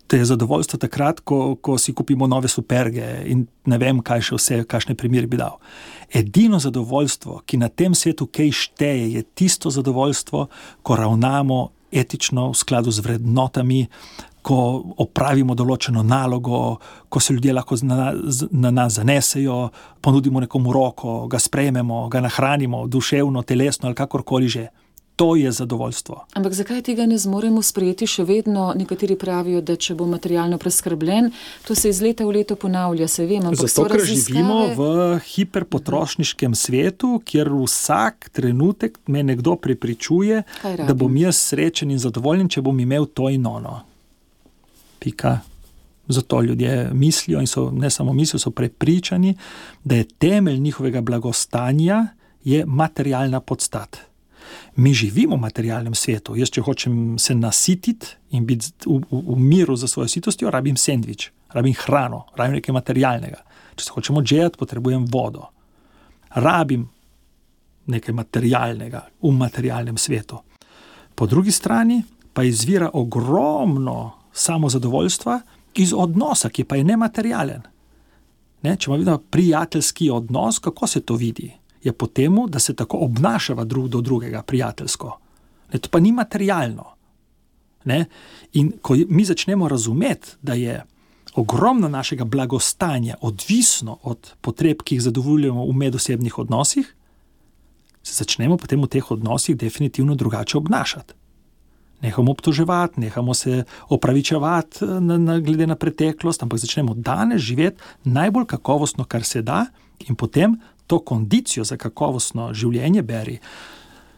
To je zadovoljstvo takrat, ko si kupimo nove superge in ne vem, kaj še vse, kakšne primere bi dal. Edino zadovoljstvo, ki na tem svetu kaj šteje, je tisto zadovoljstvo, ko ravnamo etično v skladu z vrednotami, ko opravimo določeno nalogo, ko se ljudje lahko na nas zanesejo, ponudimo nekomu roko, ga sprejmemo, ga nahranimo, duševno, telesno ali kakorkoli že. To je zadovoljstvo. Ampak zakaj tega ne zmoremo sprejeti še vedno? Nekateri pravijo, da če bo materialno preskrbljen, to se iz leta v leto ponavlja, se vem, ampak zato, ker živimo v hiperpotrošniškem svetu, kjer vsak trenutek me nekdo prepričuje, da bom jaz srečen in zadovoljen, če bom imel to in ono. Pika. Zato ljudje mislijo in so, ne samo mislijo, so prepričani, da je temelj njihovega blagostanja je materialna podstat. Mi živimo v materialnem svetu. Jaz, če hočem se nasititi in biti v miru za svojo sitostjo, rabim sendvič, rabim hrano, rabim nekaj materialnega. Če se hočem odžejati, potrebujem vodo. Rabim nekaj materialnega v materialnem svetu. Po drugi strani pa izvira ogromno samozadovoljstva iz odnosa, ki pa je nematerialen. Če ima vidno prijateljski odnos, kako se to vidi? Je po temu, da se tako obnašava drug do drugega prijateljsko. To pa ni materialno. In ko mi začnemo razumeti, da je ogromno našega blagostanja odvisno od potreb, ki jih zadovoljujemo v medosebnih odnosih, se začnemo potem v teh odnosih definitivno drugače obnašati. Nehamo obtoževati, nehamo se opravičevati glede na preteklost, ampak začnemo danes živeti najbolj kakovostno, kar se da, in potem to kondicijo za kakovostno življenje beri.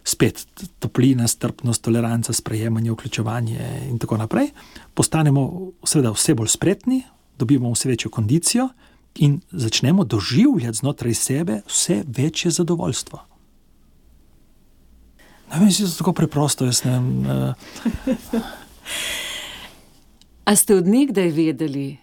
Spet toplina, strpnost, toleranca, sprejemanje, vključevanje in tako naprej. Postanemo seveda vse bolj spretni, dobimo vse večjo kondicijo in začnemo doživljati znotraj sebe vse večje zadovoljstvo. Meni se to tako preprosto, jaz ne vem. A ste od nekdaj vedeli,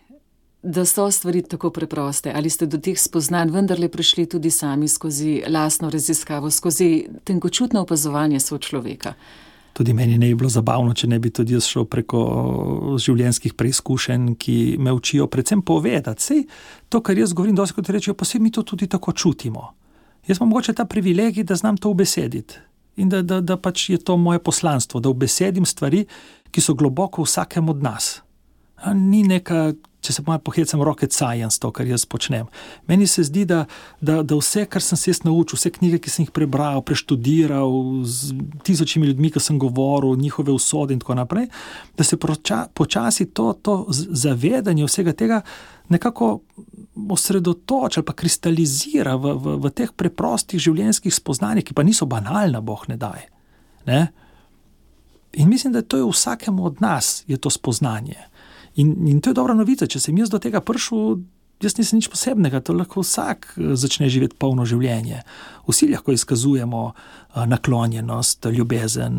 da so stvari tako preproste? Ali ste do teh spoznanj vendarle prišli tudi sami skozi lastno raziskavo, skozi tenkočutno opazovanje sočloveka? Tudi meni ne bi bilo zabavno, če ne bi tudi jaz šel preko življenjskih preizkušenj, ki me učijo predvsem povedati. Sej to, kar jaz govorim, dosti kot rečejo, pa sej mi to tudi tako čutimo. Jaz imam mogoče ta privilegij, da znam to ubesediti. In da pač je to moje poslanstvo, da ubesedim stvari, ki so globoko v vsakem od nas. Ni neka, če se malo pohecam, rocket science to, kar jaz počnem. Meni se zdi, da vse, kar sem se jaz naučil, vse knjige, ki sem jih prebral, preštudiral, z tisočimi ljudmi, ki sem govoril, njihove usode in tako naprej, da se počasi to zavedanje vsega tega nekako osredotoči ali pa kristalizira v teh preprostih življenjskih spoznanjih, ki pa niso banalna, Bog ne daj. In mislim, da to je vsakemu od nas, je to spoznanje. In to je dobra novica, če sem jaz do tega prišel, jaz nisem nič posebnega, to lahko vsak začne živeti polno življenje. Vsi lahko izkazujemo naklonjenost, ljubezen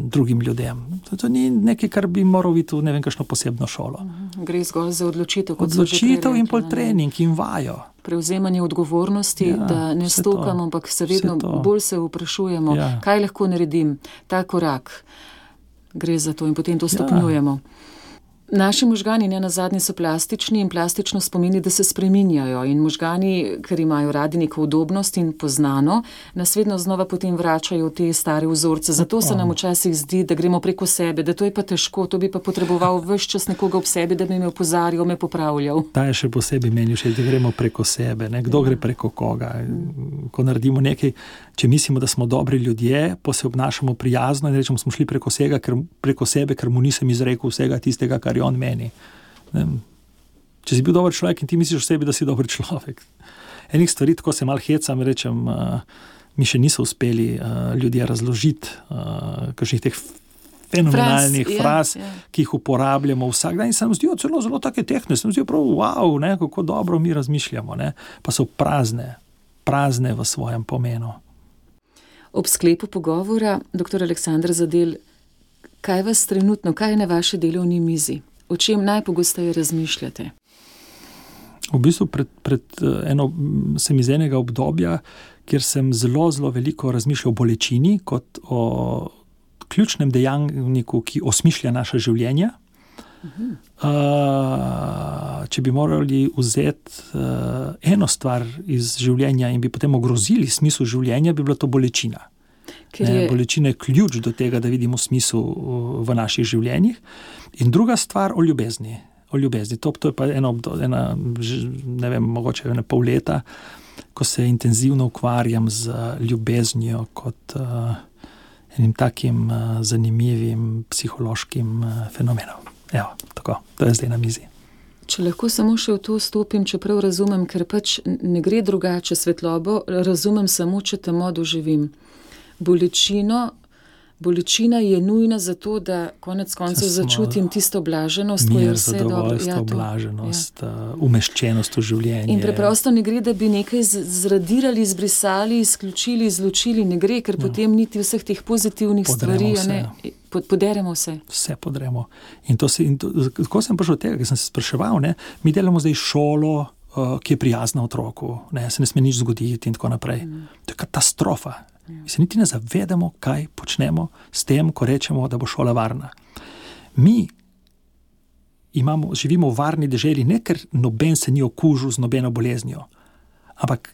drugim ljudem. To ni nekaj, kar bi moral biti v ne vem kakšno posebno šolo. Gre zgolj za odločitev. Odločitev in pol trening in vajo. Prevzemanje odgovornosti, da ne stokamo, ampak se vedno bolj se vprašujemo, kaj lahko naredim, ta korak. Gre za to in potem to stopnjujemo. Naši možgani nenazadnje so plastični in plastično spomeni, da se spreminjajo in možgani, ker imajo radi neko udobnost in poznano, nas vedno znova potem vračajo v te stare vzorce. Zato se nam včasih zdi, da gremo preko sebe, da to je pa težko, to bi pa potreboval ves čas nekoga ob sebi, da bi me opozarjal, me popravljal. Ta je še posebej meni všeč, da gremo preko sebe, kdo gre preko koga. Ko naredimo nekaj, če mislimo, da smo dobri ljudje, pa se obnašamo prijazno in rečemo, smo šli preko sebe, ker mu nisem izrekel vsega tistega, kar je on meni. Če si bil dober človek in ti misliš o sebi, da si dober človek. Enih stvari, tako se malo hecam, rečem, mi še niso uspeli ljudje razložiti kakšnih teh fenomenalnih fraz, ki jih uporabljamo vsak dan in se nam zdijo zelo take tehne, se nam zdijo prav, wow, ne, kako dobro mi razmišljamo, ne, pa so prazne v svojem pomenu. Ob sklepu pogovora, dr. Aleksander Zadel, kaj vas trenutno, kaj je na vaši delovni mizi? O čem najpogosteje razmišljate? V bistvu sem iz enega obdobja, kjer sem zelo veliko razmišljal o bolečini kot o ključnem dejavniku, ki osmišlja naša življenja. Če bi morali vzeti eno stvar iz življenja in bi potem ogrozili smisel življenja, bi bila to bolečina. Bolečina je ključ do tega, da vidimo smisel v naših življenjih. In druga stvar o ljubezni. To je pa mogoče pol leta, ko se intenzivno ukvarjam z ljubeznijo kot enim takim zanimivim psihološkim fenomenom. Evo, tako, to je zdaj na mizi. Če lahko samo še v to stopim, čeprav razumem, ker pač ne gre drugače, svetlobo razumem samo, če temo doživim. Bolečina je nujna zato, da konec koncev začutim tisto blaženost, ko je vse dobro. Zadovoljstvo, blaženost, umeščenost v življenje. In preprosto ne gre, da bi nekaj zradirali, izbrisali, izključili, izločili, ne gre, ker potem niti vseh teh pozitivnih stvari, poderemo vse. Vse podremo. In tako sem prišel od tega, ker sem se spraševal, mi delamo zdaj šolo, ki je prijazna otroku, se ne sme nič zgoditi in tako naprej. To je katastrofa. Mi se niti ne zavedamo, kaj počnemo s tem, ko rečemo, da bo šola varna. Mi živimo v varni deželi, ne ker noben se ni okužil z nobeno boleznijo, ampak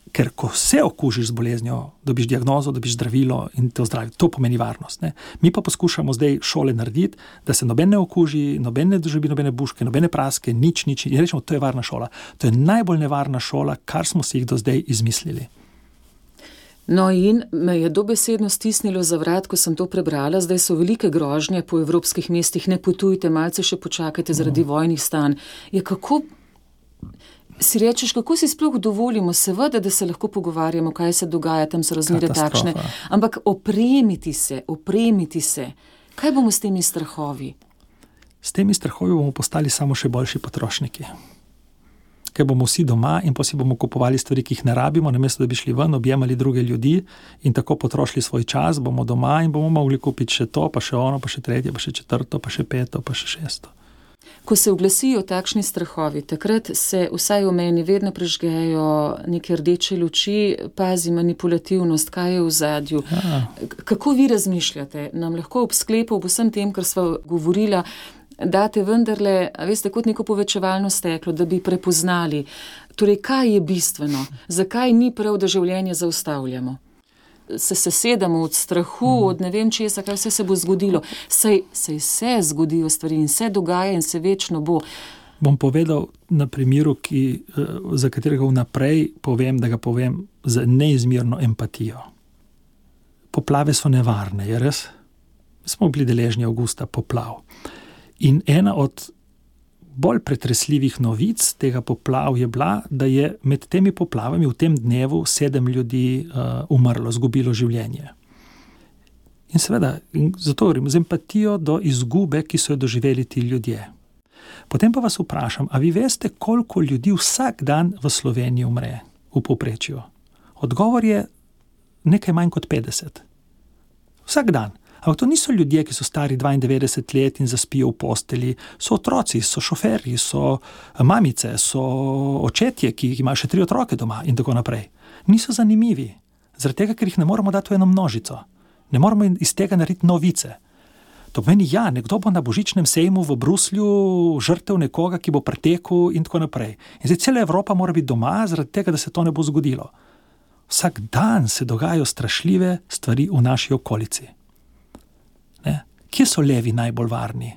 ker ko se okužiš z boleznijo, dobiš diagnozo, dobiš zdravilo in te ozdravi. To pomeni varnost. Mi pa poskušamo zdaj šole narediti, da se noben ne okuži, noben ne doživi nobene buške, nobene praske, nič. In rečemo, to je varna šola. To je najbolj nevarna šola, kar smo si jih do zdaj izmislili. No in me je dobesedno stisnilo za vrat, ko sem to prebrala. Zdaj so velike grožnje po evropskih mestih, ne potujte, malce še počakajte zaradi vojnih stanj. Kako si rečeš, kako si sploh dovolimo, seveda, da se lahko pogovarjamo, kaj se dogaja, tam so razmere takšne, ampak opremiti se. Kaj bomo s temi strahovi? S temi strahovi bomo postali samo še boljši potrošniki. Ker bomo vsi doma in pa si bomo kupovali stvari, ki jih ne rabimo, namesto da bi šli ven, objemali druge ljudi in tako potrošili svoj čas, bomo doma in bomo mogli kupiti še to, pa še ono, pa še tretje, pa še četrto, pa še peto, pa še šesto. Ko se oglasijo takšni strahovi, takrat se vsaj v meni vedno prežgejo neke rdeče luči, pazi manipulativnost, kaj je v zadju. Kako vi razmišljate? Nam lahko ob sklepu, ob vsem tem, kar sva govorila, date vendarle, veste, kot neko povečevalno steklo, da bi prepoznali. Torej, kaj je bistveno? Zakaj ni prav, da življenje zaustavljamo? Se sesedamo od strahu, od ne vem česa, kaj vse se bo zgodilo. Saj se zgodijo stvari in se dogaja in se večno bo. Bom povedal na primeru, za katerega vnaprej povem, da ga povem z neizmerno empatijo. Poplave so nevarne, je res? Smo bili deležni avgusta poplav. In ena od bolj pretresljivih novic tega poplav je bila, da je med temi poplavami v tem dnevu 7 ljudi umrlo, izgubilo življenje. In seveda, zato govorim, z empatijo do izgube, ki so jo doživeli ti ljudje. Potem pa vas vprašam, a vi veste, koliko ljudi vsak dan v Sloveniji umre v povprečju? Odgovor je nekaj manj kot 50. Vsak dan. Ampak to niso ljudje, ki so stari 92 let in zaspijo v posteli. So otroci, so šoferji, so mamice, so očetje, ki imajo še 3 otroke doma in tako naprej. Niso zanimivi, zaradi tega, ker jih ne moramo dati v eno množico. Ne moramo iz tega narediti novice. To pomeni, nekdo bo na božičnem sejmu v Bruslju žrtev nekoga, ki bo pretekel in tako naprej. In zdaj cela Evropa mora biti doma, zaradi tega, da se to ne bo zgodilo. Vsak dan se dogajajo strašljive stvari v naši okolici. Kje so levi najbolj varni?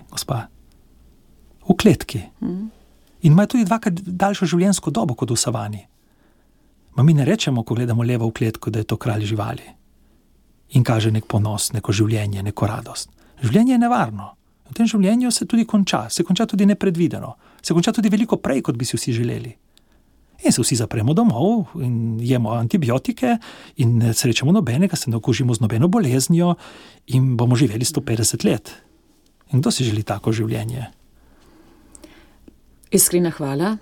Gospa? V kletki. In imajo tudi 2-krat daljšo življenjsko dobo kot v savani. Mi ne rečemo, ko gledamo levo v kletko, da je to kralj živali. In kaže nek ponos, neko življenje, neko radost. Življenje je nevarno. V tem življenju se tudi konča. Se konča tudi nepredvideno. Se konča tudi veliko prej, kot bi si vsi želeli. in se vsi zapremo domov in jemo antibiotike in ne srečamo nobenega, se ne okužimo z nobeno boleznijo in bomo živeli 150 let. In kdo si želi tako življenje? Iskrena hvala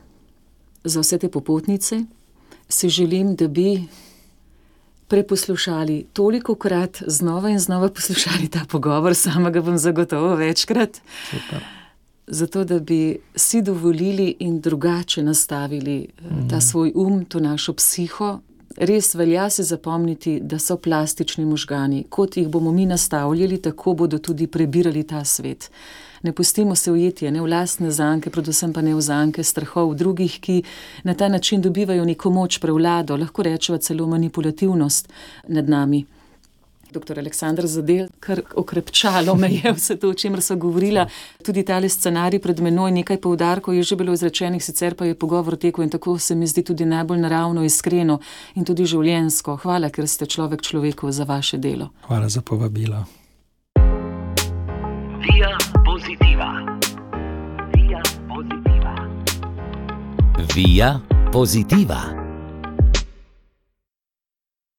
za vse te popotnice. Si želim, da bi preposlušali tolikokrat, znova in znova poslušali ta pogovor, sama ga bom zagotovo večkrat. Super. Zato, da bi si dovolili in drugače nastavili ta svoj to našo psiho. Res velja se zapomniti, da so plastični možgani. Kot jih bomo mi nastavljali, tako bodo tudi prebirali ta svet. Ne pustimo se ujeti, ne v lastne zanke, predvsem pa ne v zanke strahov drugih, ki na ta način dobivajo neko moč, prevlado, lahko rečeva celo manipulativnost nad nami. Dr. Aleksandar Zadel, kar okrepčalo me je vse to, o čemer so govorila. Tudi tale scenarij pred menoj, nekaj poudarkov je že bilo izrečenih, sicer pa je pogovor tekel in tako se mi zdi tudi najbolj naravno, iskreno in tudi življenjsko. Hvala, ker ste človek človeku za vaše delo. Hvala za povabilo. Via Positiva. Via Positiva. Via Positiva.